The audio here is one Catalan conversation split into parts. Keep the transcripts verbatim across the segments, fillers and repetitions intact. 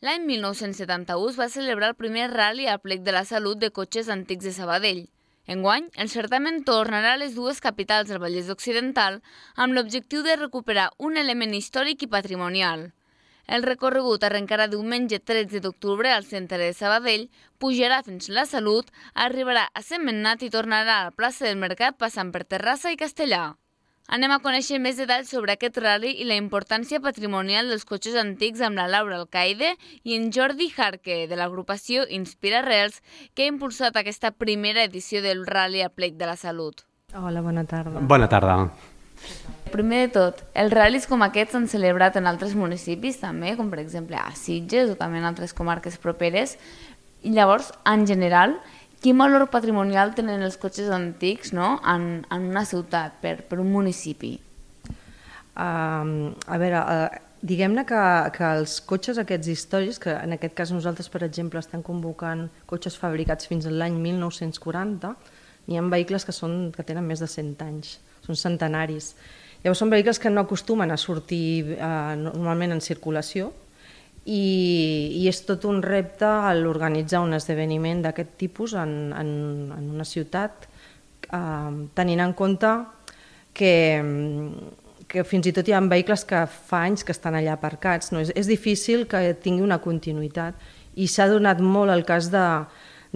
L'any mil nou-cents setanta-u es va celebrar el primer ral·li a Plec de la Salut de cotxes antics de Sabadell. Enguany, el certamen tornarà a les dues capitals del Vallès Occidental amb l'objectiu de recuperar un element històric i patrimonial. El recorregut arrencarà diumenge tretze d'octubre al centre de Sabadell, pujarà fins a la Salut, arribarà a Sentmenat i tornarà a la plaça del Mercat passant per Terrassa i Castellar. Anem a conèixer més detalls sobre aquest ral·li i la importància patrimonial dels cotxes antics amb la Laura Alcaide i en Jordi Jarque, de l'agrupació Inspira Rels, que ha impulsat aquesta primera edició del ral·li a Plec de la Salut. Hola, bona tarda. Bona tarda. Primer de tot, els ral·lis com aquests s'han celebrat en altres municipis també, com per exemple a Sitges o també en altres comarques properes. I llavors, en general, quin valor patrimonial tenen els cotxes antics, no?, en, en una ciutat, per, per un municipi? Uh, a veure, uh, diguem-ne que, que els cotxes aquests històrics, que en aquest cas nosaltres, per exemple, estem convocant cotxes fabricats fins a l'any mil nou-cents quaranta, n'hi ha vehicles que, són, que tenen més de cent anys, són centenaris. Llavors són vehicles que no acostumen a sortir uh, normalment en circulació, I, i és tot un repte l'organitzar un esdeveniment d'aquest tipus en, en, en una ciutat, eh, tenint en compte que, que fins i tot hi ha vehicles que fa anys que estan allà aparcats. No? És, és difícil que tingui una continuïtat i s'ha donat molt el cas de,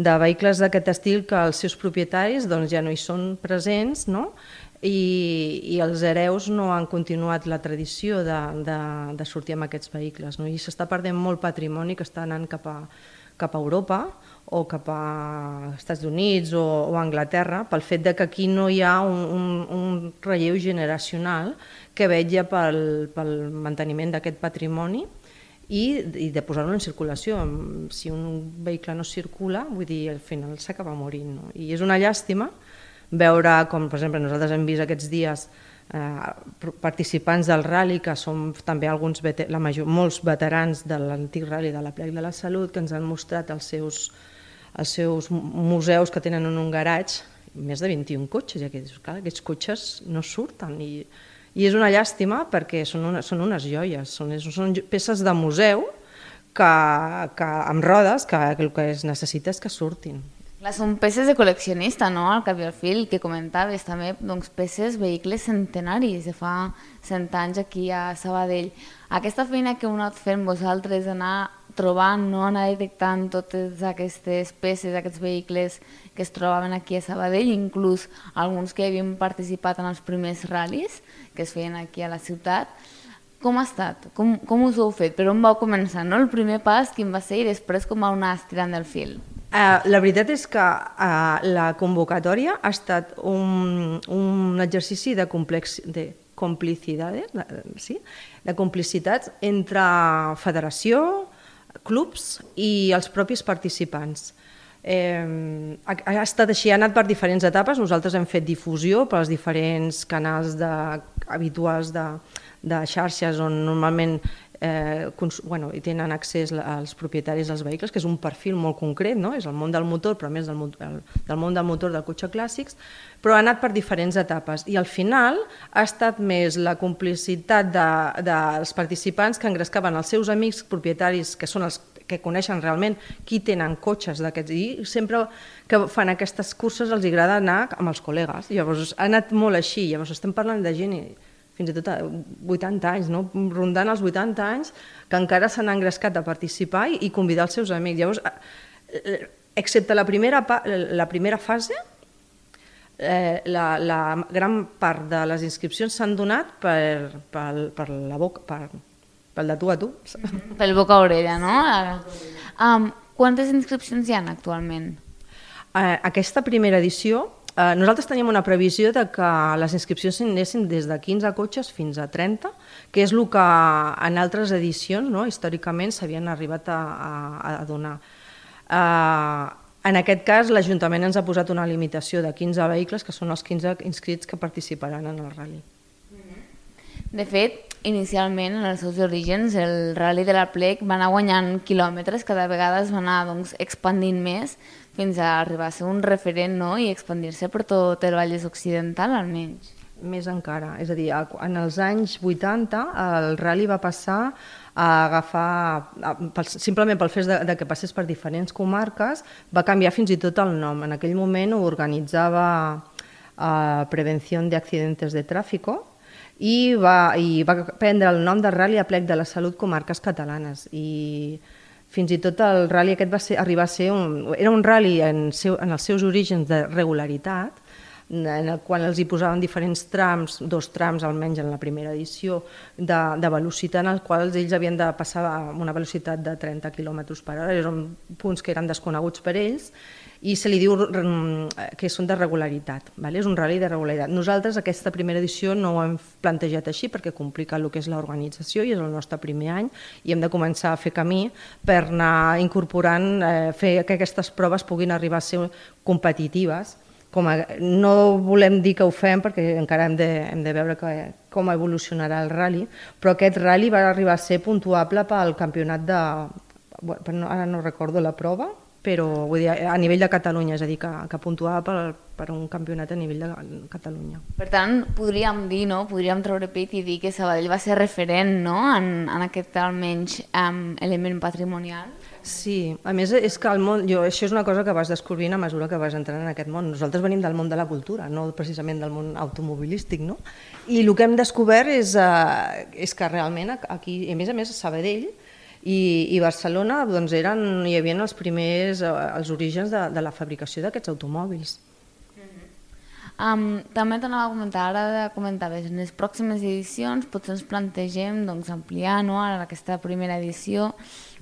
de vehicles d'aquest estil que els seus propietaris doncs, ja no hi són presents, no? I, i els hereus no han continuat la tradició de, de, de sortir amb aquests vehicles, no? I s'està perdent molt patrimoni que està anant cap a, cap a Europa o cap a Estats Units o, o Anglaterra pel fet de que aquí no hi ha un, un, un relleu generacional que vetlla pel, pel manteniment d'aquest patrimoni i, i de posar-lo en circulació. Si un vehicle no circula, vull dir, al final s'acaba morint, no? I és una llàstima veure com, per exemple, nosaltres hem vist aquests dies eh, participants del ral·li, que són també alguns, la major, molts veterans de l'antic ral·li de la Plec de la Salut, que ens han mostrat els seus, els seus museus que tenen en un garatge, més de vint-i-un cotxes, i aquests, clar, aquests cotxes no surten, i, i és una llàstima perquè són, una, són unes joies, són, són peces de museu que, que, amb rodes que el que es necessita és que surtin. Clar, són peces de col·leccionista, no?, al cap i al fi, el que comentaves també, doncs peces, vehicles centenaris de fa cent anys aquí a Sabadell. Aquesta feina que heu anat fent vosaltres, anar trobant, no?, anar detectant totes aquestes peces, aquests vehicles que es trobaven aquí a Sabadell, inclús alguns que havien participat en els primers ral·lis que es feien aquí a la ciutat. Com ha estat? Com, com us ho heu fet? Per on vau començar, no? El primer pas, quin va ser, i després com vau anar estirant del fil? Uh, la veritat és que uh, la convocatòria ha estat un, un exercici de, complex, de complicitats, sí? de complicitats entre federació, clubs i els propis participants. Eh, ha, ha estat així, ha anat per diferents etapes. Nosaltres hem fet difusió pels diferents canals de, habituals de, de xarxes on normalment Eh, bueno, hi tenen accés als propietaris dels vehicles, que és un perfil molt concret, no? És el món del motor, però més del, el, del món del motor del cotxe clàssics, però ha anat per diferents etapes i al final ha estat més la complicitat de, dels participants que engrescaven els seus amics propietaris, que són els que coneixen realment qui tenen cotxes d'aquests, i sempre que fan aquestes curses els agrada anar amb els col·legues. Llavors ha anat molt així, llavors estem parlant de gent fins i tot a vuitanta anys, no? Rondant els vuitanta anys, que encara s'han engrescat a participar i convidar els seus amics. Llavors, excepte la primera, la primera fase, eh, la, la gran part de les inscripcions s'han donat per, per, per la boca, per, pel de tu a tu. Pel boca a orella, no? Um, quantes inscripcions hi ha actualment? Eh, aquesta primera edició, Eh, nosaltres teníem una previsió de que les inscripcions s'anessin des de quinze cotxes fins a trenta, que és el que en altres edicions, no, històricament s'havien arribat a, a, a donar. Eh, en aquest cas, l'Ajuntament ens ha posat una limitació de quinze vehicles, que són els quinze inscrits que participaran en el ral·li. De fet, inicialment, en els seus orígens, el ral·li de la Plec va anar guanyant quilòmetres, cada vegada es va anar doncs, expandint més, fins a arribar a ser un referent, no?, i expandir-se per tot el Vallès Occidental, almenys. Més encara. És a dir, en els anys vuitanta el rally va passar a agafar, simplement pel fet de, de que passés per diferents comarques, va canviar fins i tot el nom. En aquell moment ho organitzava eh, Prevenció de Accidentes de Tráfico i va, i va prendre el nom de Rally Aplec de la Salut Comarques Catalanes. I fins i tot el rally aquest va ser, arribar a ser un, era un rally en, seu, en els seus orígens de regularitat, en el qual els hi posaven diferents trams, dos trams almenys en la primera edició, de, de velocitat en els quals ells havien de passar amb una velocitat de trenta quilòmetres per hora, eren punts que eren desconeguts per ells, i se li diu que són de regularitat, vale? És un rally de regularitat. Nosaltres aquesta primera edició no ho hem plantejat així perquè complica el que és l'organització i és el nostre primer any i hem de començar a fer camí per anar incorporant, eh, fer que aquestes proves puguin arribar a ser competitives. Com a, no volem dir que ho fem perquè encara hem de, hem de veure que, com evolucionarà el rally, però aquest rally va arribar a ser puntuable pel campionat de... Bueno, ara no recordo la prova, però vull dir, a nivell de Catalunya, és a dir, que, que puntuava per, per un campionat a nivell de Catalunya. Per tant, podríem dir, no? Podríem treure pit i dir que Sabadell va ser referent, no? en, en aquest almenys um, element patrimonial. Sí, a més és que el món, jo, això és una cosa que vas descobrint a mesura que vas entrant en aquest món. Nosaltres venim del món de la cultura, no precisament del món automobilístic, no? I el que hem descobert és, uh, és que realment aquí, a més a més a Sabadell i, i Barcelona doncs eren, hi havia els primers, uh, els orígens de, de la fabricació d'aquests automòbils. Um, també t'anava a comentar, ara comentaves, en les pròximes edicions potser ens plantegem doncs, ampliar, no? Ara aquesta primera edició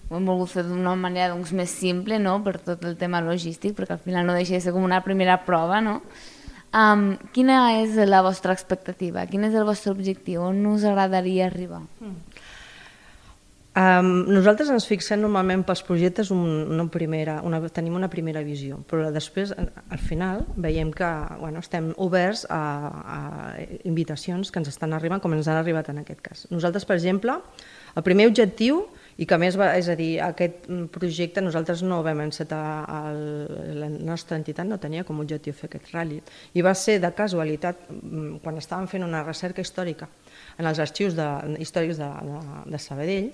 ho hem volgut fer d'una manera doncs, més simple, no? Per tot el tema logístic, perquè al final no deixa de ser com una primera prova, no? Um, quina és la vostra expectativa? Quin és el vostre objectiu? On us agradaria arribar? Mm. Um, nosaltres ens fixem normalment pels projectes un, una primera, una, tenim una primera visió, però després al final veiem que bueno, estem oberts a, a invitacions que ens estan arribant com ens han arribat en aquest cas. Nosaltres, per exemple, el primer objectiu, i que a més, va, és a dir, aquest projecte nosaltres no vam encetar, el, la nostra entitat no tenia com a objectiu fer aquest rally, i va ser de casualitat, quan estàvem fent una recerca històrica en els arxius de, històrics de, de, de Sabadell,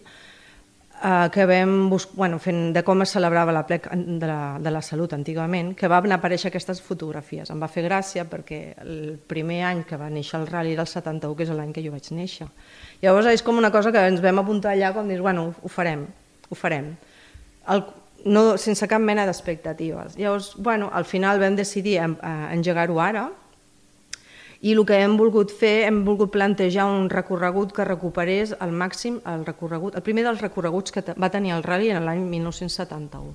eh, que vam buscar, bueno, fent de com es celebrava la plec de la, de la salut antigament, que van aparèixer aquestes fotografies. Em va fer gràcia perquè el primer any que va néixer el rally era el setanta-u, que és l'any que jo vaig néixer. Llavors és com una cosa que ens vam apuntar allà com dir, bueno, ho farem, ho farem, el, no, sense cap mena d'expectatives. Llavors, bueno, al final vam decidir engegar-ho ara i el que hem volgut fer, hem volgut plantejar un recorregut que recuperés al màxim el recorregut, el primer dels recorreguts que va tenir el rally en l'any mil nou-cents setanta-u.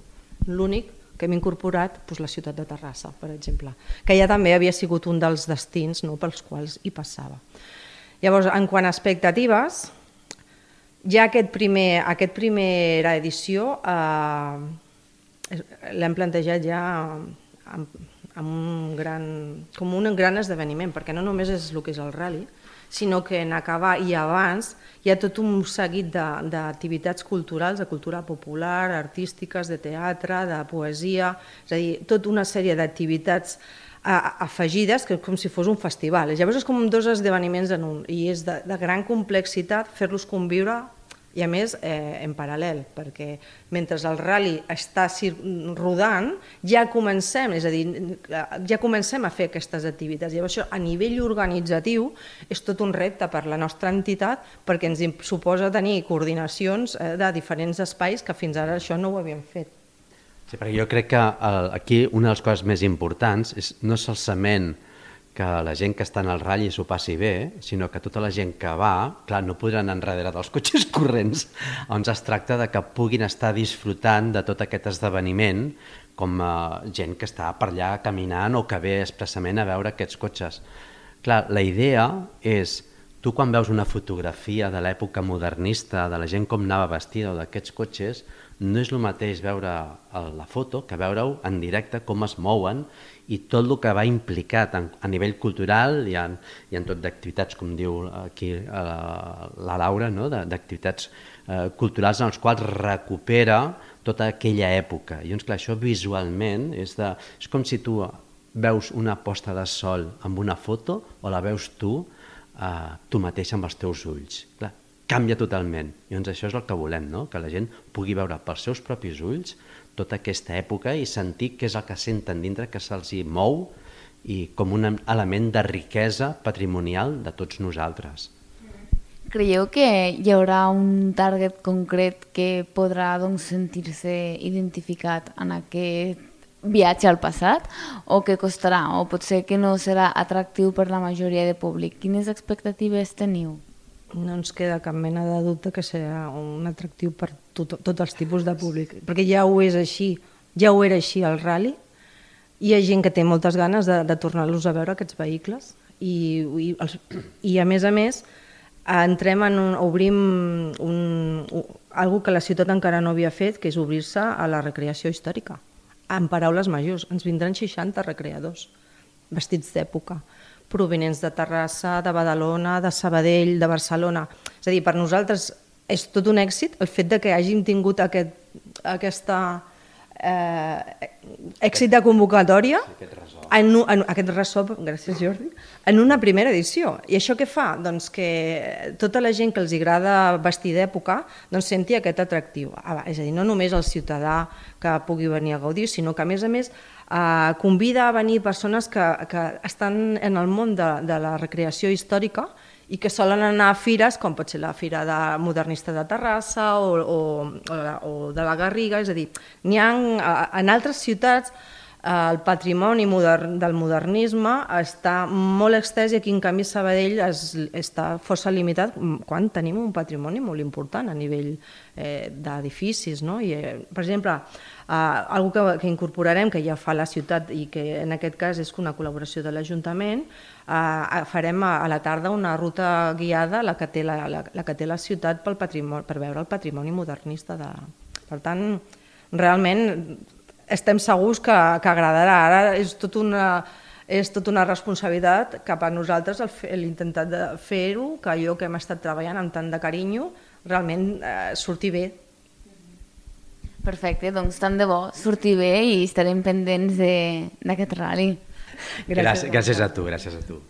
L'únic que hem incorporat doncs, la ciutat de Terrassa, per exemple, que ja també havia sigut un dels destins no, pels quals hi passava. Llavors, en quant a expectatives, ja aquest primer, aquest primera edició eh, l'hem plantejat ja amb, amb un gran, com un gran esdeveniment, perquè no només és el que és el rally, sinó que en acabar i abans hi ha tot un seguit d'activitats culturals, de cultura popular, artístiques, de teatre, de poesia, és a dir, tota una sèrie d'activitats afegides, que com si fos un festival. Llavors és com dos esdeveniments en un, i és de, de gran complexitat fer-los conviure, i a més eh, en paral·lel, perquè mentre el rally està rodant, ja comencem, és a dir, ja comencem a fer aquestes activitats. Llavors això a nivell organitzatiu és tot un repte per la nostra entitat, perquè ens suposa tenir coordinacions eh, de diferents espais que fins ara això no ho havíem fet. Sí, perquè jo crec que el, aquí una de les coses més importants és no solament que la gent que està en el ratll s'ho passi bé, sinó que tota la gent que va, clar, no podran anar darrere dels cotxes corrents, on es tracta de que puguin estar disfrutant de tot aquest esdeveniment com a gent que està per allà caminant o que ve expressament a veure aquests cotxes. Clar, la idea és, tu quan veus una fotografia de l'època modernista, de la gent com anava vestida o d'aquests cotxes, no és el mateix veure la foto que veure-ho en directe, com es mouen i tot el que va implicat a nivell cultural i en, i en tot d'activitats, com diu aquí la Laura, no? d'activitats eh, culturals en els quals recupera tota aquella època. I doncs, clar, això visualment és, de, és com si tu veus una posta de sol amb una foto o la veus tu, eh, tu mateix amb els teus ulls. Clar, canvia totalment. I doncs això és el que volem, no? Que la gent pugui veure pels seus propis ulls tota aquesta època i sentir què és el que senten dintre, que se'ls mou i com un element de riquesa patrimonial de tots nosaltres. Creieu que hi haurà un target concret que podrà doncs, sentir-se identificat en aquest viatge al passat o que costarà o potser que no serà atractiu per la majoria de públic? Quines expectatives teniu? No ens queda cap mena de dubte que serà un atractiu per tot, tots els tipus de públic, perquè ja ho és així, ja ho era així al rally. Hi ha gent que té moltes ganes de, de tornar-los a veure, aquests vehicles, i, i, els, i a més a més entrem en un, obrim un, un, algo que la ciutat encara no havia fet, que és obrir-se a la recreació històrica. En paraules majors, ens vindran seixanta recreadors, vestits d'època, provenents de Terrassa, de Badalona, de Sabadell, de Barcelona. És a dir, per nosaltres és tot un èxit el fet de que hàgim tingut aquest, aquesta eh, èxit de convocatòria, sí, aquest ressò. En, en, aquest ressò, gràcies Jordi, en una primera edició. I això què fa? Doncs que tota la gent que els agrada vestir d'època doncs senti aquest atractiu. És a dir, no només el ciutadà que pugui venir a gaudir, sinó que a més a més eh, convida a venir persones que, que estan en el món de, de la recreació històrica i que solen anar a fires, com pot ser la Fira de Modernista de Terrassa o, o, o, la, o de la Garriga, és a dir, n'hi ha en altres ciutats el patrimoni modern, del modernisme està molt extès i aquí en canvi Sabadell es, està força limitat quan tenim un patrimoni molt important a nivell eh, d'edificis, no? I, eh, per exemple, eh, algo que, que incorporarem, que ja fa la ciutat i que en aquest cas és una col·laboració de l'Ajuntament, eh, farem a, a la tarda una ruta guiada la que té la, la, la, que té la ciutat pel patrimoni, per veure el patrimoni modernista. De... Per tant, realment estem segurs que, que agradarà. Ara és tot una, és tot una responsabilitat cap a nosaltres l'intentar de fer-ho, que allò que hem estat treballant amb tant de carinyo realment eh, surti bé. Perfecte, doncs tant de bo surti bé i estarem pendents d'aquest rally. Gràcies, gràcies a tu, gràcies a tu.